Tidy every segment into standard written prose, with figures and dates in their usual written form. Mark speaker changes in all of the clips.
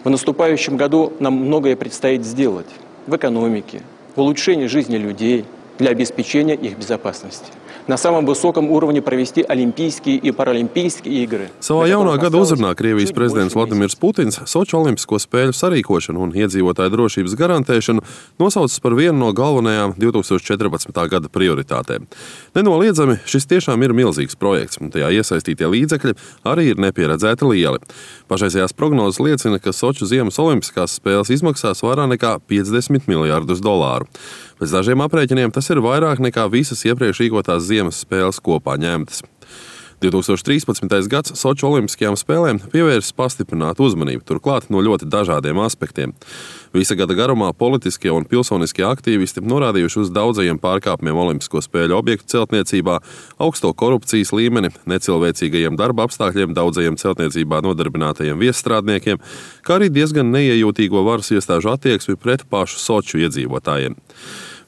Speaker 1: В наступающем году нам многое предстоит сделать в экономике, в улучшении жизни людей, для обеспечения их безопасности. На самом высоком уровне провести Олимпийские и Паралимпийские игры.
Speaker 2: Savā jaunā gada uzrunā Krievijas prezidents Vladimirs Putins Soču olimpisko spēļu sarīkošanu un iedzīvotāju drošības garantēšanu nosaucis par vienu no galvenajām 2014. gada prioritātēm. Nenoliedzami šis tiešām ir milzīgs projekts, un tajā iesaistītie līdzekļi arī ir nepieredzēti lieli. Pašreizējās prognozes liecina, ka Soču ziemas olimpiskās spēles izmaksās vairāk nekā $50 miljardus. Pēc dažiem aprēķiniem tas ir vairāk nekā visas iepriekš rīkotās ziemas spēles kopā ņemtas. 2013. gads Soču olimpiskajām spēlēm pievērsis pastiprinātu uzmanību, turklāt no ļoti dažādiem aspektiem. Visa gada garumā politiskie un pilsoniskie aktīvisti norādījuši uz daudzajiem pārkāpumiem olimpisko spēļu objektu celtniecībā, augsto korupcijas līmeni, necilvēcīgajiem darba apstākļiem daudzajiem celtniecībā nodarbinātajiem viesstrādniekiem, kā arī diezgan neiejūtīgo varas iestāžu attieksmi pret pašu Soču iedzīvotājiem.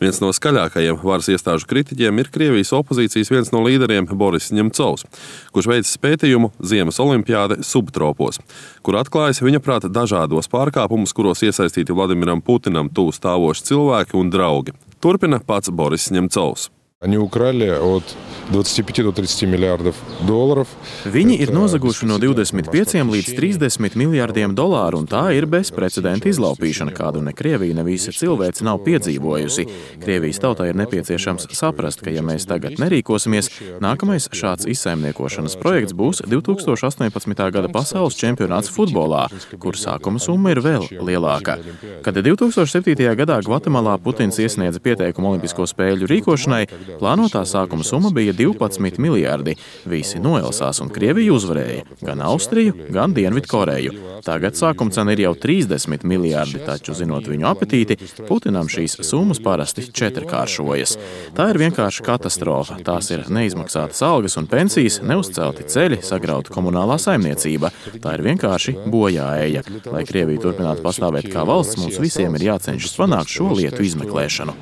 Speaker 2: Viens no skaļākajiem varas iestāžu kritiķiem ir Krievijas opozīcijas viens no līderiem Boris Ņemcovs, kurš veicis pētījumu Ziemas olimpiāde subtropos, kur atklājas viņa prāta dažādos pārkāpumus, kuros iesaistīti Vladimiram Putinam tuvu stāvoši cilvēki un draugi. Turpina pats Boris Ņemcovs.
Speaker 3: Они украли от 25 до 30 миллиардов долларов.
Speaker 4: Viņi ir nozaguši no 25 līdz 30 miljārdiem dolāru, un tā ir bezprecedenta izlaupīšana, kādu ne Krievija, ne visa cilvēce nav piedzīvojusi. Krievijas tautai ir nepieciešams saprast, ka ja mēs tagad nerīkosimies, nākamais šāds izsaimniekošanas projekts būs 2018. gada pasaules čempionāts futbolā, kur sākuma summa ir vēl lielāka. Kad 2007. gadā Gvatemalā Putins iesniedza pieteikumu Olimpisko spēļu rīkošanai, plānotā sākuma summa bija 12 miljārdi. Visi noelsās un Krievija uzvarēja, gan Austriju, gan Dienvidkoreju. Tagad sākuma cena ir jau 30 miljārdi, taču, zinot viņu apetīti, Putinam šīs summas parasti četrkāršojas. Tā ir vienkārši katastrofa. Tās ir neizmaksātas algas un pensijas, neuzcelti ceļi, sagrauta komunālā saimniecība. Tā ir vienkārši bojāēja. Lai Krievija turpinātu pastāvēt kā valsts, mums visiem ir jācenšas panākt šo lietu izmeklēšanu.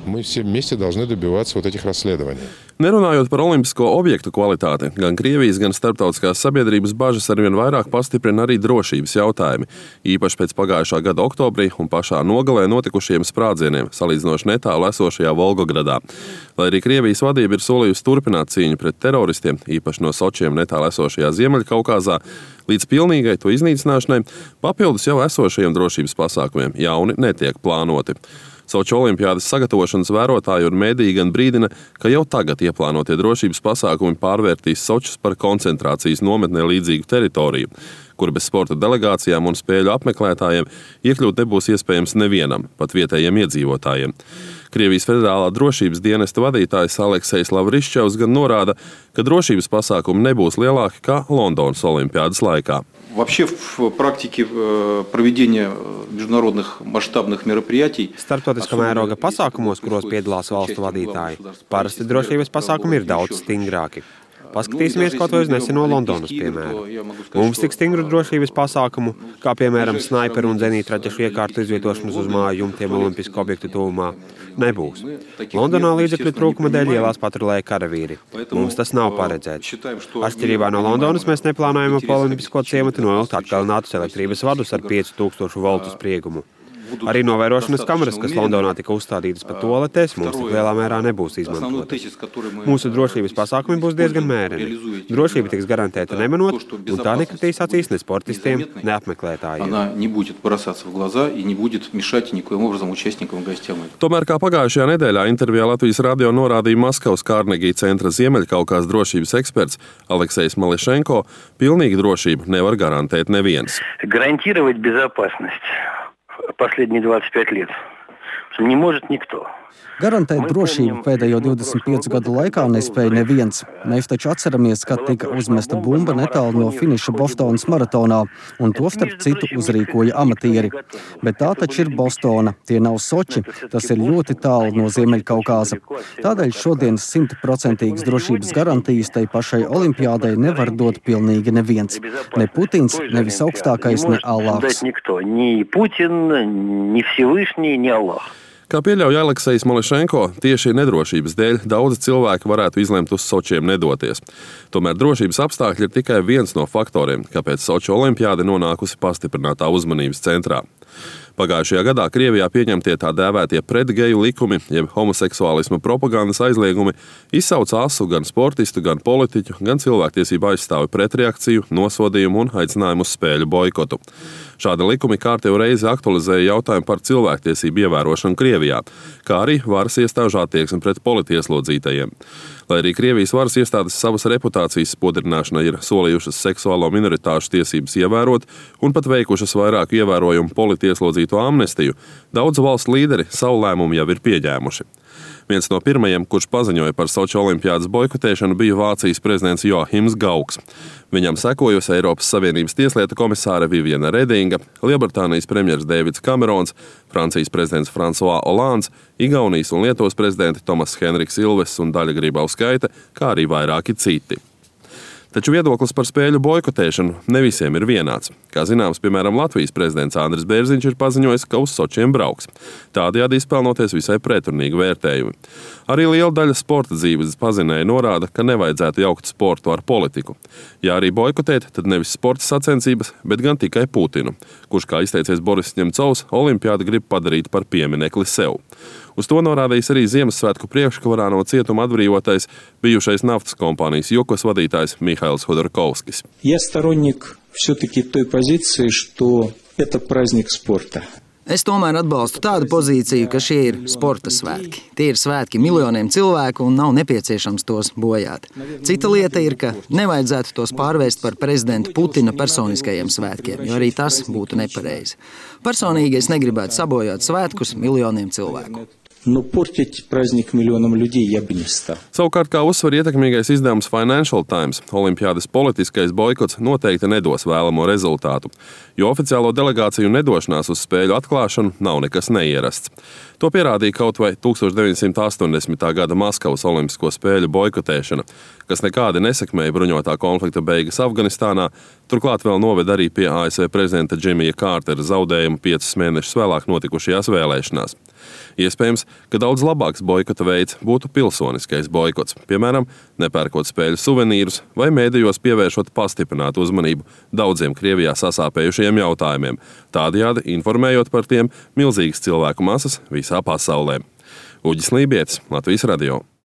Speaker 2: Nerunājot par olimpisko objektu kvalitāti, gan Krievijas, gan starptautiskās sabiedrības bažas arvien vairāk pastiprina arī drošības jautājumi, īpaši pēc pagājušā gada oktobrī un pašā nogalē notikušiem sprādzieniem, salīdzinoši netālu esošajā Volgogradā. Lai arī Krievijas vadība ir solījusi turpināt cīņu pret teroristiem, īpaši no Sočiem netālu esošajā Ziemeļkaukazā, līdz pilnīgai to iznīcināšanai, papildus jau esošajiem drošības pasākumiem jauni netiek plānoti. Soču olimpiādes sagatavošanas vērotāji un mediji gan brīdina, ka jau tagad ieplānotie drošības pasākumi pārvērtīs Sočus par koncentrācijas nometnē līdzīgu teritoriju, kur bez sporta delegācijām un spēļu apmeklētājiem iekļūt nebūs iespējams nevienam, pat vietējiem iedzīvotājiem. Krievijas federālā drošības dienesta vadītājs Aleksejs Lavriščevs gan norāda, ka drošības pasākumi nebūs lielāki kā Londonas olimpiādes laikā.
Speaker 5: Вообще в практике проведения международных масштабных мероприятий
Speaker 6: starptautiskā mēroga pasākumos, kuros piedalās valstu vadītāji, parasti drošības pasākumi ir daudz stingrāki. Paskatīsimies kaut vai uz neseno Londonas piemēru. Mums tik stingru drošības pasākumu, kā piemēram snaiperu un zenītraķešu iekārtu izvietošanas uz māju jumtiem olimpisku objektu tuvumā, nebūs. Londonā līdzekļu trūkuma dēļ ielās patrulēja karavīri. Mums tas nav paredzēts. Atšķirībā no Londonas mēs neplānojam ap olimpisko ciematu novilkt atkalinātus elektrības vadus ar 5000 voltu spriegumu. Arī novērošanas kameras, kas Londonā tika uzstādītas pa toaletēs, mums tik lielā mērā nebūs izmantotas. Mūsu drošības pasākumi būs diezgan mēreni. Drošība tiks garantēta nemanot, un tā nekritīs acīs ne sportistiem, ne apmeklētājiem.
Speaker 2: Tomēr, kā pagājušajā nedēļā intervijā Latvijas radio norādīja Maskavas Kārnegija centra Ziemeļkaukās drošības eksperts Aleksejs Mališenko, pilnīgu drošību nevar garantēt neviens.
Speaker 7: Гарантировать безопасность последние 25 лет не может никто.
Speaker 8: Garantēt drošību pēdējo 25 gadu laikā nespēja neviens. Mēs taču atceramies, kad tika uzmesta bumba netālu no finiša Bostonas maratonā, un to starp citu uzrīkoja amatieri. Bet tā taču ir Bostona, tie nav Soči, tas ir ļoti tālu no Ziemeļkaukāza. Tādēļ šodienas 100% drošības garantijas tai pašai olimpiādai nevar dot pilnīgi neviens. Ne Putins, ne visaugstākais, ne Allāhs.
Speaker 2: Kā pieļauj Aleksejs Mališenko, tieši nedrošības dēļ daudzi cilvēki varētu izlemt uz Sočiem nedoties. Tomēr drošības apstākļi ir tikai viens no faktoriem, kāpēc Soču olimpiāde nonākusi pastiprinātā uzmanības centrā. Pagājušajā gadā Krievijā pieņemtie tā dēvētie pretgeju likumi, jeb homoseksuālisma propagandas aizliegumi, izsauca asu gan sportistu, gan politiķu, gan cilvēktiesību aizstāvi pretreakciju, nosodījumu un aicinājumu uz spēļu boikotu. Šādi likumi kārtējo reizi aktualizēja jautājumu par cilvēktiesību ievērošanu Krievijā, kā arī varas iestāžu attieksmi pret politieslodzītajiem. Lai arī Krievijas varas iestādes savas reputācijas spodrināšanai ir solījušas seksuālo minoritāšu tiesības ievērot un pat veikušas vairāku ievērojumu politieslodzīto amnestiju, daudzu valstu līderi savu lēmumu jau ir pieņēmuši. Viens no pirmajiem, kurš paziņoja par Soču olimpiādas boikotēšanu, bija Vācijas prezidents Joachims Gauks. Viņam sekojusi Eiropas Savienības tieslietu komisāre Viviana Redinga, Lielbritānijas premjers Deivids Kamerons, Francijas prezidents François Hollands, Igaunijas un Lietuvas prezidenti Tomas Henriks Ilves un Daļa Grybauskaite, kā arī vairāki citi. Taču viedoklis par spēļu boikotēšanu ne visiem ir vienāds. Kā zināms, piemēram, Latvijas prezidents Andris Bērziņš ir paziņojis, ka uz Sočiem brauks. Tādējādi izpelnoties visai pretrunīgi vērtējumi. Arī liela daļa sporta dzīves pazinēja norāda, ka nevajadzētu jaukt sportu ar politiku. Ja arī boikotēt, tad nevis sporta sacensības, bet gan tikai Putinu, kurš, kā izteicies Boris Ņemcovs, olimpiādu grib padarīt par pieminekli sev. Uz to norādījis arī Ziemassvētku priekškarā no cietuma atbrīvotais bijušais naftas kompānijas Jukos vadītājs Mihails Hodorkovskis.
Speaker 9: Я сторонник все-таки той позиции, что это праздник спорта.
Speaker 10: Es tomēr atbalstu tādu pozīciju, ka šie ir sporta svētki. Tie ir svētki miljoniem cilvēku un nav nepieciešams tos bojāt. Cita lieta ir, ka nevajadzētu tos pārvērst par prezidenta Putina personiskajiem svētkiem, jo arī tas būtu nepareizi. Personīgi es negribētu sabojāt svētkus miljoniem cilvēku.
Speaker 9: Но портить праздник миллионам людей я бы не стал.
Speaker 2: Savukārt, kā uzsver ietekmīgais izdevums Financial Times, olimpiādes politiskais boikots noteikti nedos vēlamo rezultātu, jo oficiālo delegāciju nedošanās uz spēļu atklāšanu nav nekas neierasts. To pierādīja kaut vai 1980. gada Maskavas olimpisko spēļu boikotēšana, kas nekādi nesekmēja bruņotā konflikta beigas Afganistānā, turklāt vēl noved arī pie ASV prezidenta Džimija Kārtera zaudējumu 5 mēnešus vēlāk notikušajās vēlēšanās. Iespējams, ka daudz labāks boikota veids būtu pilsoniskais boikots, piemēram, nepērkot spēļu suvenīrus vai mēdījos pievēršot pastiprinātu uzmanību daudziem Krievijā sasāpējušajiem jautājumiem, tādējādi informējot par tiem milzīgas cilvēku masas visā pasaulē. Uģis Lībietis, Latvijas radio.